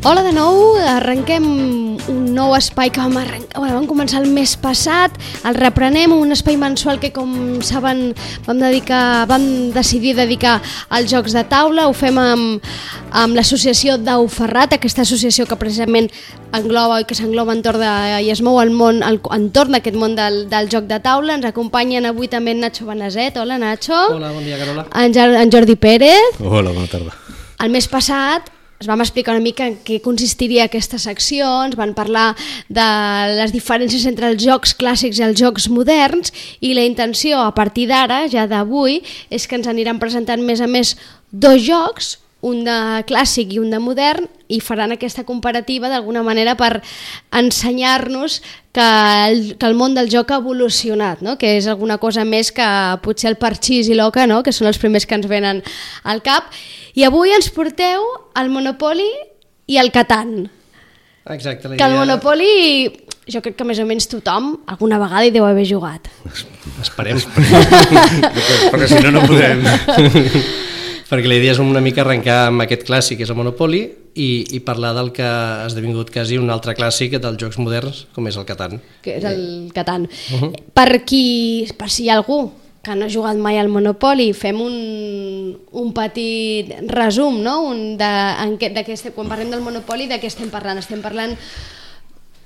Hola de nou, arrenquem un nou espai que vam començar el mes passat, el reprenem, un espai mensual que, com saben, vam decidir dedicar als jocs de taula. Ho fem amb l'associació Dau Ferrat, aquesta associació que precisament engloba i que s'engloba i es mou entorn d'aquest món del joc de taula. Ens acompanyen avui també en Nacho Benaset. Hola, Nacho. Hola, bon dia, Carola. En Jordi Pérez. Hola, bona tarda. El mes passat es vam explicar una mica en què consistiria aquesta secció, ens van parlar de les diferències entre els jocs clàssics i els jocs moderns, i la intenció a partir d'ara, ja d'avui, és que ens aniran presentant més a més dos jocs, un de clàssic i un de modern, i faran aquesta comparativa d'alguna manera per ensenyar-nos que el món del joc ha evolucionat, no? Que és alguna cosa més que potser el parxís i l'oca, no? Que són els primers que ens venen al cap. I avui ens porteu el Monopoly i el Catan. Exacte. Que el Monopoly, jo crec que més o menys tothom alguna vegada hi deu haver jugat. Esperem. Perquè si no, no podem. Perquè la idea és una mica arrencar amb aquest clàssic, que és el Monopoly, i parlar del que ha esdevingut quasi un altre clàssic dels jocs moderns, com és el Catan. Que és el Catan. Per si hi ha algú que no ha jugat mai al Monopoly, fem un petit resum, no? Quan parlem del Monopoly, de què estem parlant? Estem parlant...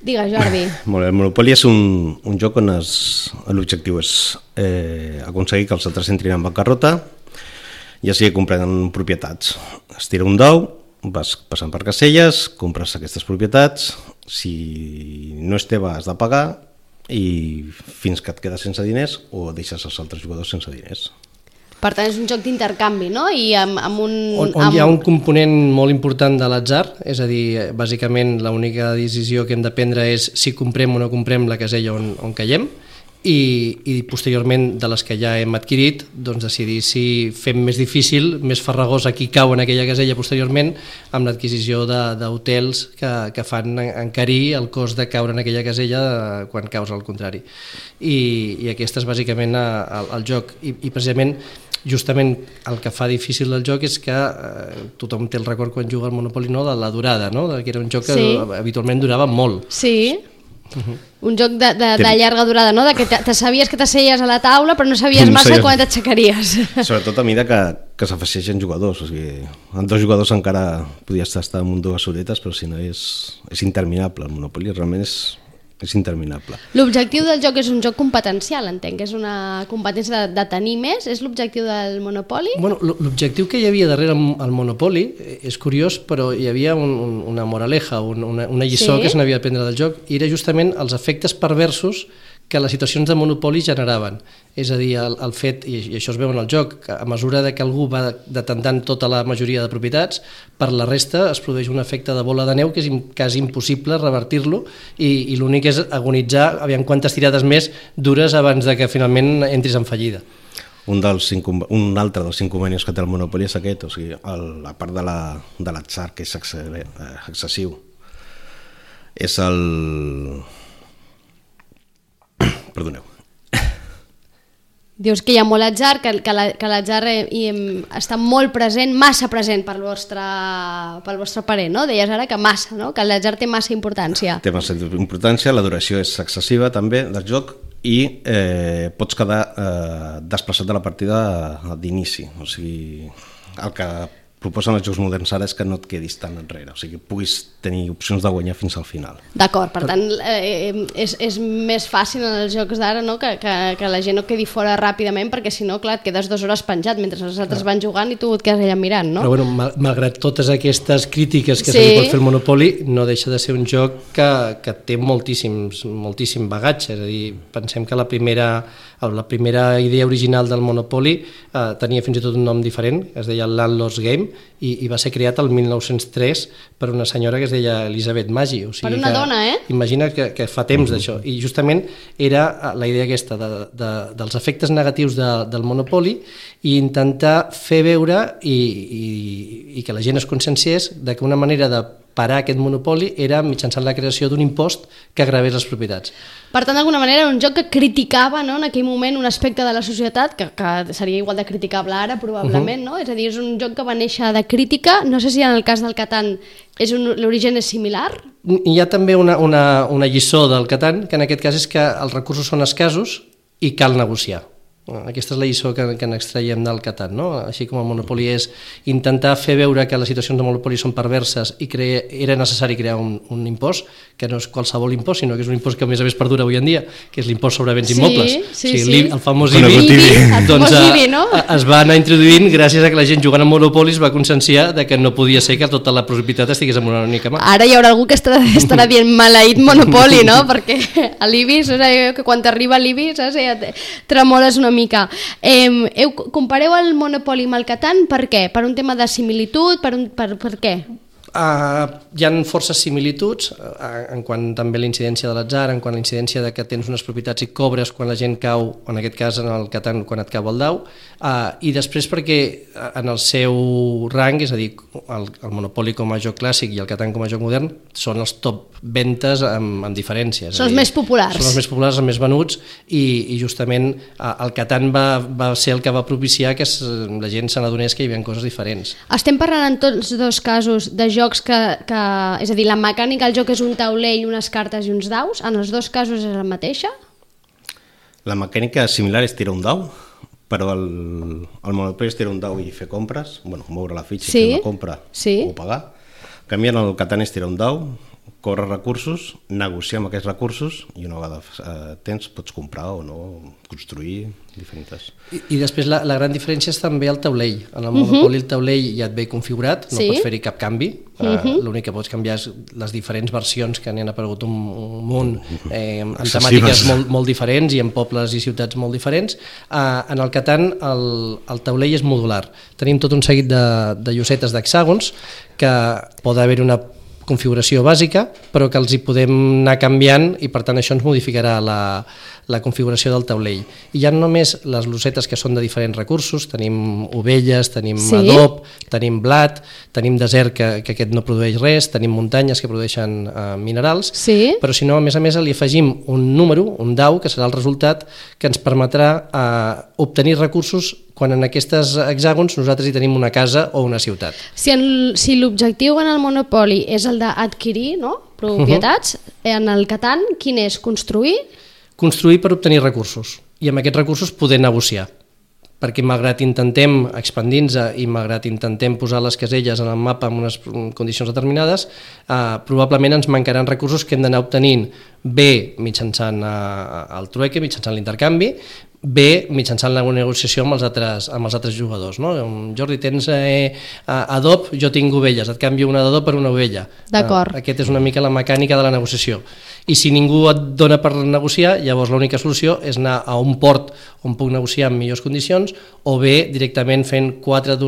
Digues, Jordi. Molt bé, el Monopoly és un joc on l'objectiu és aconseguir que els altres entrin en bancarrota, ja sigui comprant propietats. Es tira un dau, vas passant per caselles, compres aquestes propietats, si no és teva has de pagar, i fins que et quedes sense diners o deixes els altres jugadors sense diners. Per tant, és un joc d'intercanvi, no? I amb un... On hi ha un component molt important de l'atzar, és a dir, bàsicament l'única decisió que hem de prendre és si comprem o no comprem la casella on caiem, i posteriorment de les que ja hem adquirit, doncs decidir si fem més difícil, més farragós a qui cau en aquella casella posteriorment, amb l'adquisició d'hotels que fan encarir el cost de caure en aquella casella quan caus al contrari. I aquest és bàsicament el joc, i precisament justament el que fa difícil el joc és que tothom té el record quan juga al Monopoly, no? De la durada, no? Que era un joc que habitualment durava molt. Sí. Un joc de llarga durada, no? De que te sabies que t'asseies a la taula però no sabies massa quan t'aixecaries. Sobretot a mesura que s'afegeixen jugadors, o sigui, amb 2 jugadors encara podies estar amb 2 horetes, però si no és interminable. El Monopoly realment és interminable. L'objectiu del joc és un joc competencial, entenc, que és una competència de tenir més, és l'objectiu del Monopoly? Bueno, l'objectiu que hi havia darrere el Monopoly és curiós, però hi havia una moraleja, una lliçó que se n'havia d'aprendre del joc, i era justament els efectes perversos que les situacions de Monopoly generaven. És a dir, el fet, i això es veu en el joc, que a mesura que algú va detentant tota la majoria de propietats, per la resta es produeix un efecte de bola de neu que és quasi impossible revertir-lo, i l'únic és agonitzar aviam quantes tirades més dures abans de que finalment entris en fallida. Un altre dels inconvenients que té el Monopoly és aquest, o sigui, la part de l'atzar, que és excessiu. És Perdoneu. Dius que hi ha molt atzar, que l'atzar està molt present, massa present pel vostre parer, no? Deies ara que massa, no? Que l'atzar té massa importància. Té massa importància, la duració és excessiva també del joc, i pots quedar desplaçat de la partida d'inici. O sigui, el que proposen els jocs moderns ara és que no et quedis tan enrere, o sigui, que puguis tenir opcions de guanyar fins al final. D'acord, per tant, és més fàcil en els jocs d'ara, no? que la gent no quedi fora ràpidament, perquè si no, clar, et quedes 2 hores penjat mentre els altres van jugant i tu et quedes allà mirant, no? Però bueno, malgrat totes aquestes crítiques que se li pot fer al Monopoly, no deixa de ser un joc que té moltíssim bagatge, és a dir, pensem que la primera idea original del Monopoly tenia fins i tot un nom diferent, es deia Landlord's Game, i va ser creat el 1903 per una senyora que es deia Elisabeth Maggi. O sigui, per una dona, eh? Imagina que fa temps d'això. I justament era la idea aquesta dels efectes negatius del Monopoly, i intentar fer veure i que la gent es conscienciés de que una manera de parar aquest monopoli era mitjançant la creació d'un impost que gravés les propietats. Per tant, d'alguna manera, era un joc que criticava, no, en aquell moment un aspecte de la societat que seria igual de criticable ara, probablement, no? És a dir, és un joc que va néixer de crítica. No sé si en el cas del Catan l'origen és similar. Hi ha també una lliçó del Catan, que en aquest cas és que els recursos són escassos i cal negociar. Aquesta és la lliçó que n'extraiem del Catan, no? Així com el Monopoly és intentar fer veure que les situacions de Monopoly són perverses i era necessari crear un impost, que no és qualsevol impost, sinó que és un impost que a més avui en dia, que és l'impost sobre béns immobles. Sí. El famós IBI, doncs es va anar introduint gràcies a que la gent jugant a Monopoly es va conscienciar de que no podia ser que tota la propietat estigués en una única mà. Ara hi haurà algú que estarà dient maleït Monopoly, no? Perquè a l'IBI, que quan t'arriba l'IBI, tremoles una mica. Compareu el Monopoly amb el Catan, per què? Per un tema de similitud? Per què? Hi ha forces similituds en quant també a la incidència de l'atzar, en quant a la incidència de que tens unes propietats i cobres quan la gent cau, en aquest cas en el Catan quan et cau el dau, i després perquè en el seu rang, és a dir, el Monopoly com a joc clàssic i el Catan com a joc modern són els top ventes amb diferències. Són els més populars. Són els més populars, els més venuts, i justament el Catan va ser el que va propiciar que la gent se n'adonés que hi havia coses diferents. Estem parlant en tots dos casos de jocs que és a dir, la mecànica del joc és un taulell, unes cartes i uns daus, en els dos casos és la mateixa? La mecànica similar és tirar un dau, però el Monopoly és tirar un dau i fer compres, moure la fitxa i fer una compra o pagar. En canvi, en el Catan és tirar un dau, córrer recursos, negociar amb aquests recursos i una vegada pots comprar o no, construir diferents. I després la gran diferència és també el taulell. En el Monopoly el taulell ja et ve configurat, no pots fer-hi cap canvi, l'únic que pots canviar és les diferents versions que n'hi han aparegut un munt amb temàtiques molt diferents i amb pobles i ciutats molt diferents. En el Catan el taulell és modular. Tenim tot un seguit de llosetes d'hexàgons que pot haver una configuració bàsica, però que els hi podem anar canviant i per tant això ens modificarà la configuració del taulell. I hi ha només les llosetes que són de diferents recursos, tenim ovelles, tenim adob, tenim blat, tenim desert que aquest no produeix res, tenim muntanyes que produeixen minerals, però si no, a més li afegim un número, un dau, que serà el resultat que ens permetrà obtenir recursos quan en aquests hexàgons nosaltres hi tenim una casa o una ciutat. Si l'objectiu en el Monopoly és el d'adquirir propietats, en el Catan quin és? Construir? Construir per obtenir recursos i amb aquests recursos poder negociar, perquè malgrat intentem expandir-nos i malgrat intentem posar les caselles en el mapa en unes condicions determinades, probablement ens mancaran recursos que hem d'anar obtenint bé mitjançant el trueque, mitjançant l'intercanvi, bé mitjançant la negociació amb els altres jugadors. Jordi, tens adob, jo tinc ovelles, et canvio un adob per una ovella. D'acord. Aquesta és una mica la mecànica de la negociació. I si ningú et dona per negociar, llavors l'única solució és anar a un port on puc negociar en millors condicions o bé directament fent 4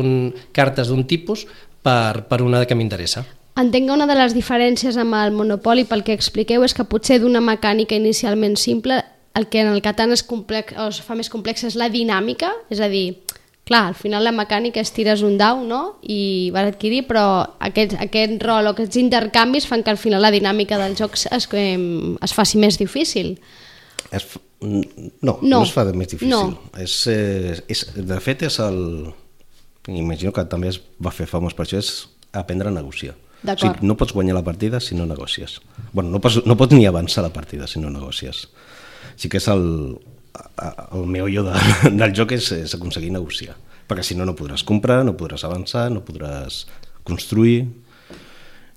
cartes d'un tipus per una que m'interessa. Entenc que una de les diferències amb el Monopoly, pel que expliqueu, és que potser d'una mecànica inicialment simple el que en el Catan es fa més complex és la dinàmica, és a dir, clar, al final la mecànica és tires un dau, no?, i vas adquirir, però aquest rol o aquests intercanvis fan que al final la dinàmica del joc es faci més difícil. No es fa més difícil. No. De fet, imagino que també es va fer famós per això, és aprendre a negociar. O sigui, no pots guanyar la partida si no negocies. No pots ni avançar la partida si no negocies. Sí que és el meollo del joc és aconseguir negociar, perquè si no podràs comprar, no podràs avançar, no podràs construir,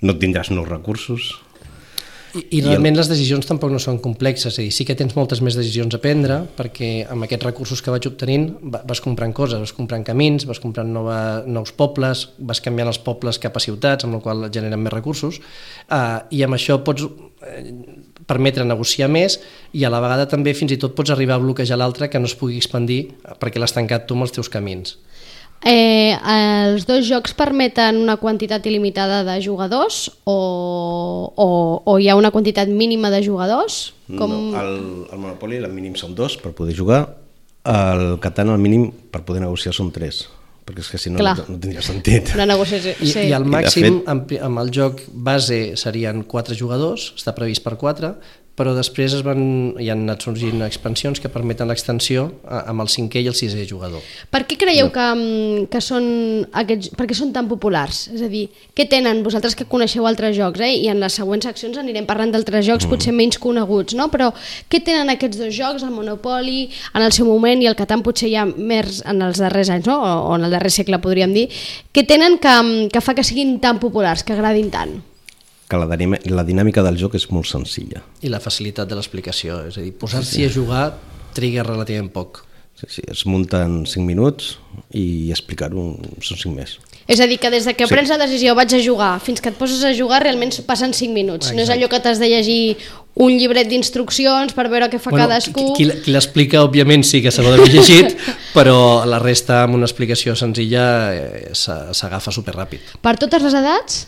no tindràs nous recursos. I realment les decisions tampoc no són complexes, és a dir, sí que tens moltes més decisions a prendre, perquè amb aquests recursos que vaig obtenint vas comprant coses, vas comprant camins, vas comprant nous pobles, vas canviant els pobles cap a ciutats, amb la qual generen més recursos, i amb això pots permetre negociar més i a la vegada també fins i tot pots arribar a bloquejar l'altre que no es pugui expandir perquè l'has tancat tu amb els teus camins. Els dos jocs permeten una quantitat il·limitada de jugadors o hi ha una quantitat mínima de jugadors? No, el Monopoly el mínim són 2 per poder jugar, el Catan el mínim per poder negociar són 3, perquè és que si no, Clar. no tindria sentit. Una negociació. I al màxim, fet- amb el joc base serien 4 jugadors, està previst per 4, però després hi han anat sorgint expansions que permeten l'extensió amb el 5è i el 6è jugador. Per què creieu que són aquests, per què són tan populars? És a dir, què tenen vosaltres que coneixeu altres jocs, i en les següents seccions anirem parlant d'altres jocs potser menys coneguts, no? Però què tenen aquests dos jocs, el Monopoly en el seu moment i el Catan potser ja més en els darrers anys, no? O en el darrer segle podríem dir, què tenen que fa que siguin tan populars, que agradin tant? Que la dinàmica del joc és molt senzilla. I la facilitat de l'explicació, és a dir, posar-s'hi a jugar triga relativament poc. Sí, es munten 5 minuts i explicar-ho són 5 més. És a dir, que des que prens la decisió vaig a jugar fins que et poses a jugar realment passen 5 minuts. Exacte. No és allò que t'has de llegir un llibret d'instruccions per veure què fa cadascú. Qui l'explica, òbviament, sí que se l'ha d'haver llegit, però la resta, amb una explicació senzilla, s'agafa superràpid. Per totes les edats?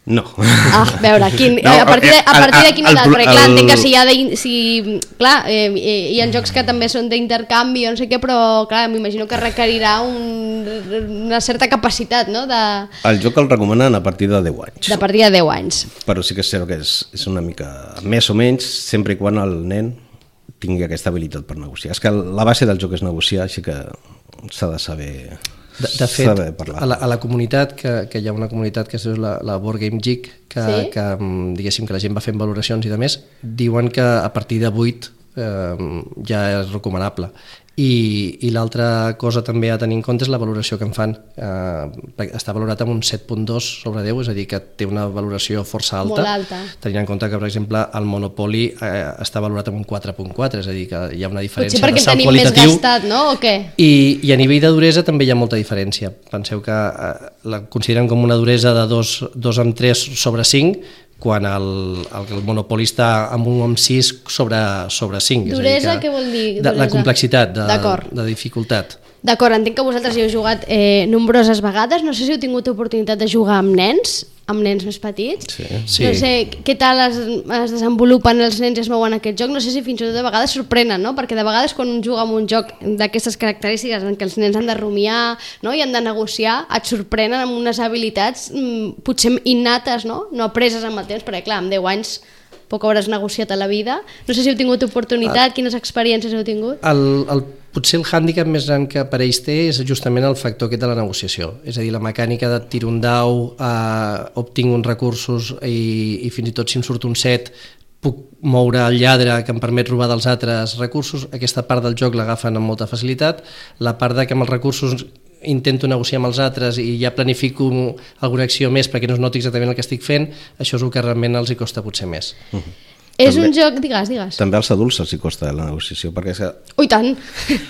No. A veure, a partir de quina edat? Perquè clar, entenc que hi ha jocs que també són d'intercanvi o no sé què, però clar, m'imagino que requerirà una certa capacitat, no? El joc el recomanen a partir de 10 anys. De partir de 10 anys. Però sí que és cert que és una mica més o menys, sempre i quan el nen tingui aquesta habilitat per negociar. És que la base del joc és negociar, així que s'ha de saber... De fet, a la comunitat, que hi ha una comunitat que es diu la Board Game Geek, que diguéssim que la gent va fent valoracions i de més, diuen que a partir de 8 ja és recomanable. I l'altra cosa també a tenir en compte és la valoració que en fan. Està valorat amb un 7.2 sobre 10, és a dir, que té una valoració força alta. Molt alta. Tenint en compte que, per exemple, el Monopoly està valorat amb un 4.4, és a dir, que hi ha una diferència de salt qualitatiu. Potser perquè tenim més gastat, no? O què? I a nivell de duresa també hi ha molta diferència. Penseu que la consideren com una duresa de 2,3 sobre 5, quan el Monopoly està amb un amb 6 sobre 5. Duresa, què vol dir? La complexitat, de dificultat. D'acord, entenc que vosaltres hi heu jugat nombroses vegades. No sé si heu tingut oportunitat de jugar amb nens més petits. Sí. No sé què tal es desenvolupen els nens i es mouen aquest joc. No sé si fins i tot de vegades sorprenen, no? Perquè de vegades quan un juga amb un joc d'aquestes característiques en què els nens han de rumiar, no? I han de negociar, et sorprenen amb unes habilitats potser innates, no apreses amb el temps, perquè clar, amb 10 anys poc hauràs negociat a la vida. No sé si heu tingut oportunitat, quines experiències heu tingut? Potser el hàndicap més gran que per ells té és justament el factor aquest de la negociació. És a dir, la mecànica de tiro un dau, obtinc uns recursos i fins i tot si em surt un 7 puc moure el lladre que em permet robar dels altres recursos. Aquesta part del joc l'agafen amb molta facilitat. La part de que amb els recursos intento negociar amb els altres i ja planifico alguna acció més perquè no es noti exactament el que estic fent, això és el que realment els hi costa potser més. És un joc... Digues. També als adults els hi costa la negociació, perquè és que... Ui, tant!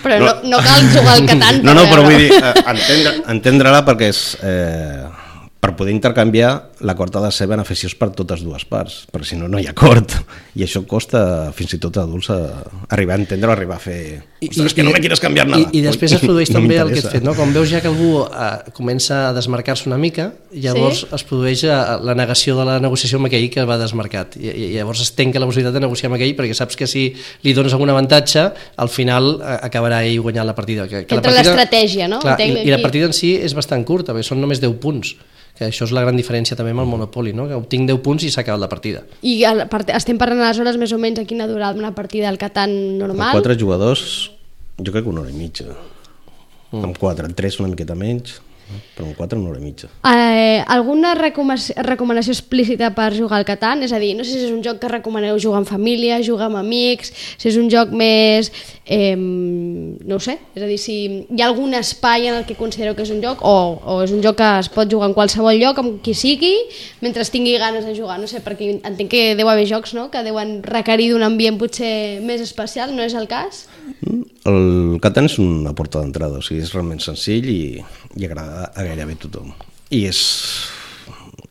Però no cal jugar al Catan. No, però vull dir, entendre-la perquè és... Per poder intercanviar, l'acord ha de ser beneficiós per totes dues parts, perquè si no, no hi ha acord. I això costa fins i tot a adults arribar a entendre o arribar a fer... Ostres, que no me quieres canviar nada. I després es produeix també el que et fet, no? Quan veus ja que algú comença a desmarcar-se una mica, llavors es produeix la negació de la negociació amb aquell que va desmarcat. I llavors es tanca la possibilitat de negociar amb aquell perquè saps que si li dones algun avantatge, al final acabarà ell guanyant la partida. Entra l'estratègia, no? Clar, i la partida en si és bastant curta, perquè són només 10 punts. Que això és la gran diferència també amb el Monopoly, no? Que obtinc 10 punts i s'ha acabat la partida. I estem parlant aleshores més o menys a quina durada una partida del Catan normal? Amb 4 jugadors, jo crec que 1 hora i mitja. Amb 4, amb 3 una miqueta menys, però amb 4 1 hora i mitja. Alguna recomanació explícita per jugar al Catan? És a dir, no sé si és un joc que recomaneu jugar en família, jugar amb amics, si és un joc més... no ho sé, és a dir, si hi ha algun espai en el que considereu que és un joc o és un joc que es pot jugar en qualsevol lloc, amb qui sigui, mentre tingui ganes de jugar, no sé, perquè entenc que deu haver jocs, no?, que deuen requerir d'un ambient potser més especial, no és el cas? El Catan és una porta d'entrada, o sigui, és realment senzill i agrada a gairebé tothom. I és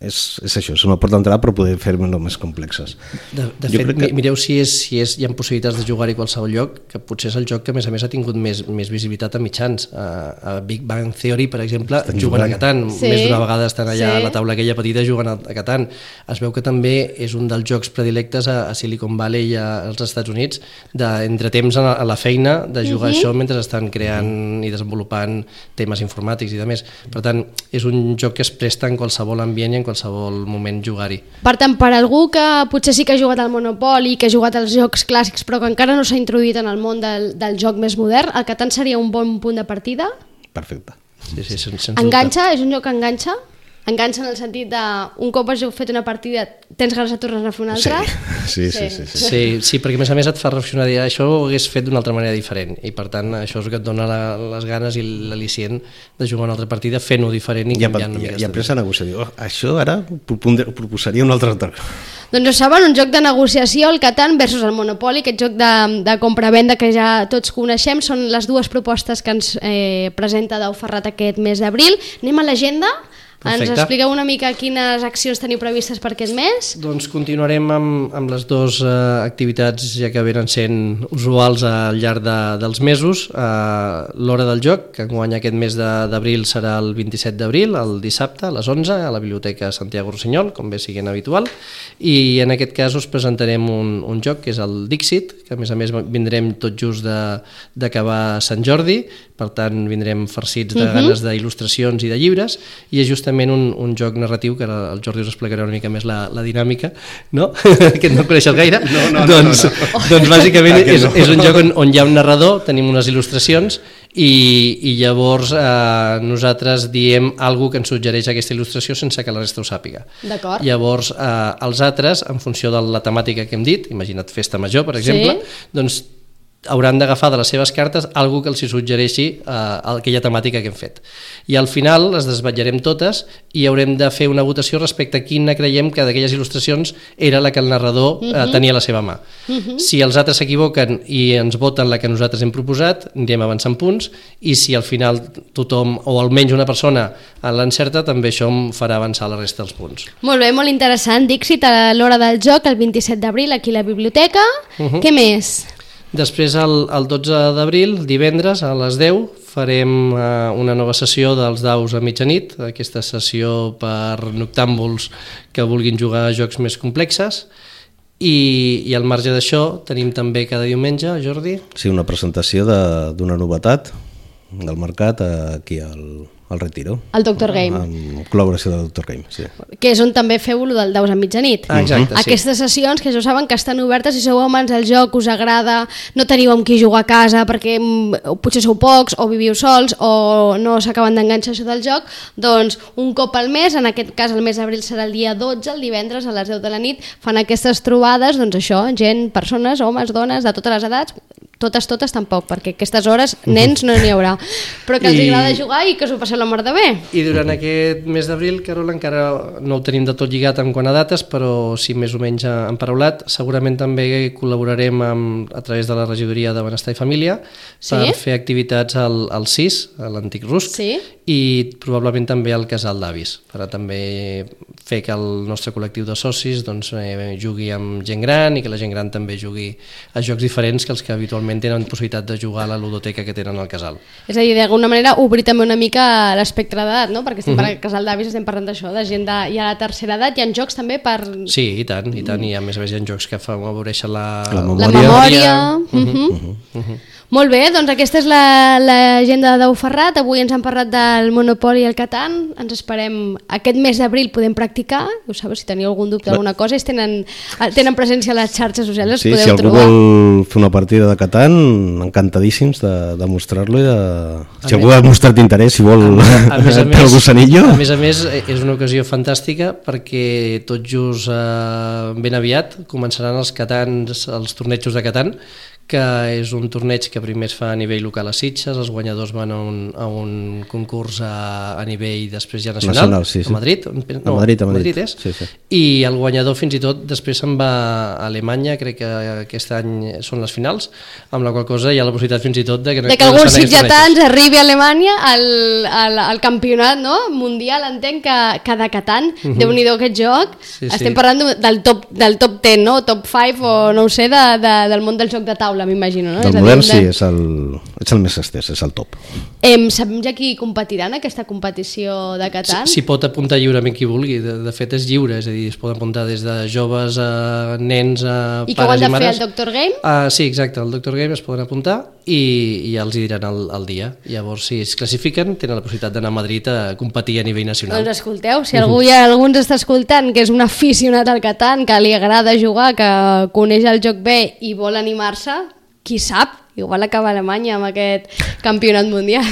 és això, és una porta d'entrada per poder fer-lo més complexes. De fet, mireu si hi ha possibilitats de jugar-hi a qualsevol lloc, que potser és el joc que a més ha tingut més visibilitat a mitjans. A Big Bang Theory, per exemple, juguen a Catan, més d'una vegada estan allà a la taula aquella petita jugant a Catan. Es veu que també és un dels jocs predilectes a Silicon Valley i als Estats Units, d'entretemps a la feina, de jugar això mentre estan creant i desenvolupant temes informàtics i de més. Per tant, és un joc que es presta en qualsevol ambient i en qualsevol moment jugar-hi. Per tant, per algú que potser sí que ha jugat al Monopoly, que ha jugat als jocs clàssics però que encara no s'ha introduït en el món del joc més modern, el Catan seria un bon punt de partida? Perfecte. Sí, sense enganxa? És un joc que enganxa? Enganxa en el sentit de un cop has fet una partida tens ganes de tornar a fer una altra? Sí, perquè a més et fa reflexionar, dir, això ho hagués fet d'una altra manera diferent i per tant això és el que et dona les ganes i l'al·licient de jugar una altra partida fent-ho diferent i canviant una mica. I après a negociar, això ara proposaria un altre altre. Doncs ho saben, un joc de negociació, el Catan versus el Monopoly, aquest joc de compra-venda que ja tots coneixem, són les dues propostes que ens presenta Dau Ferrat aquest mes d'abril. Anem a l'agenda. Ens expliqueu una mica quines accions teniu previstes per aquest mes? Doncs continuarem amb les dues activitats ja que venen sent usuals al llarg dels mesos. L'hora del joc, que enguany aquest mes d'abril serà el 27 d'abril, el dissabte a les 11 a la Biblioteca Santiago Rossinyol, com bé siguent habitual, i en aquest cas us presentarem un joc que és el Dixit, que a més vindrem tot just d'acabar Sant Jordi, per tant vindrem farcits de ganes d'il·lustracions i de llibres, i és justament un joc narratiu que ara el Jordi us explicarà una mica més la dinàmica, no? Que no coneixes gaire. Doncs bàsicament és un joc on hi ha un narrador, tenim unes il·lustracions i llavors nosaltres diem alguna que ens suggereix aquesta il·lustració sense que la resta ho sàpiga. Llavors els altres, en funció de la temàtica que hem dit, imagina't festa major per exemple, doncs hauran d'agafar de les seves cartes alguna que els suggereixi aquella temàtica que hem fet. I al final les desvetllarem totes i haurem de fer una votació respecte a quina creiem que d'aquelles il·lustracions era la que el narrador tenia a la seva mà. Si els altres s'equivoquen i ens voten la que nosaltres hem proposat, anirem avançant punts, i si al final tothom, o almenys una persona, l'encerta, també això em farà avançar la resta dels punts. Molt bé, molt interessant. Dixit a l'hora del joc, el 27 d'abril, aquí a la biblioteca. Què més? Després, el 12 d'abril, divendres, a les 10, farem una nova sessió dels daus a mitjanit, aquesta sessió per noctàmbuls que vulguin jugar a jocs més complexes, i al marge d'això tenim també cada diumenge, Jordi? Sí, una presentació d'una novetat del mercat aquí al Retiro. El Doctor Game. Amb col·laboració del Doctor Game, sí. Que és on també feu el del Daus a mitjanit. Exacte, sí. Aquestes sessions que ja saben que estan obertes, si sou amants del joc, us agrada, no teniu amb qui jugar a casa perquè potser sou pocs o viviu sols o no s'acaben d'enganxar això del joc, doncs un cop al mes, en aquest cas el mes d'abril serà el dia 12, el divendres a les 10 de la nit, fan aquestes trobades, doncs això, gent, persones, homes, dones, de totes les edats, totes tampoc, perquè aquestes hores nens no n'hi haurà, però que els agrada jugar i que us ho passeu la mar de bé. I durant aquest mes d'abril, Carol, encara no ho tenim de tot lligat en quant a dates, però sí més o menys emparaulat, segurament també col·laborarem a través de la regidoria de Benestar i Família per fer activitats al CIS, a l'antic RUSC, i probablement també al Casal d'Avis, per a també fer que el nostre col·lectiu de socis jugui amb gent gran i que la gent gran també jugui a jocs diferents que els que habitualment tenen possibilitat de jugar a la ludoteca que tenen al casal. És a dir, d'alguna manera obrir també una mica l'espectre d'edat, no? Perquè estem parlant del Casal d'Avis, estem parlant d'això, de gent ja a la tercera edat, hi ha jocs també per... Sí, i tant, i a més hi ha jocs que afavoreixen la memòria. Molt bé, doncs aquesta és l'agenda de Dau Ferrat. Avui ens han parlat del Monopoly i el Catan. Ens esperem aquest mes d'abril podem practicar. Ho sabeu, si teniu algun dubte, alguna cosa, tenen presència a les xarxes socials, sí, podeu trobar. Si algú vol fer una partida de Catan, encantadíssims de mostrar-lo i si algú ha mostrat interès, si vol el gossanillo. A més, és una ocasió fantàstica perquè tot just ben aviat començaran els tornejos de Catan, que és un torneig que primer es fa a nivell local a Sitges, els guanyadors van a un concurs a nivell després ja nacional, sí. A Madrid. No, a Madrid és. Sí. I el guanyador fins i tot després se'n va a Alemanya, crec que aquest any són les finals, amb la qual cosa hi ha la possibilitat fins i tot de que alguns sitgetans arribi a Alemanya al campionat, no? Mundial, entenc que de Catan, Déu-n'hi-do aquest joc, estem parlant del top 10, no? Top 5 o no ho sé, del món del joc de taula, m'imagino, no? Del modern sí, és el més estès, és el top. Sabem ja qui competirà en aquesta competició de Catan? S'hi pot apuntar lliurement qui vulgui, de fet és lliure, és a dir, es poden apuntar des de joves a nens, a pares i mares. I que ho han de fer al Dr. Game? Sí, exacte, al Dr. Game es poden apuntar i ja els hi diran el dia. Llavors, si es classifiquen, tenen la possibilitat d'anar a Madrid a competir a nivell nacional. Doncs escolteu, si algú ens està escoltant que és un aficionat al Catan, que li agrada jugar, que coneix el joc bé i vol animar-se, qui sap, igual acaba a Alemanya amb aquest campionat mundial.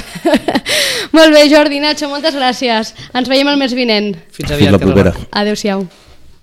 Molt bé, Jordi, Nacho, moltes gràcies. Ens veiem el mes vinent. Fins aviat, Carla. Adéu-siau.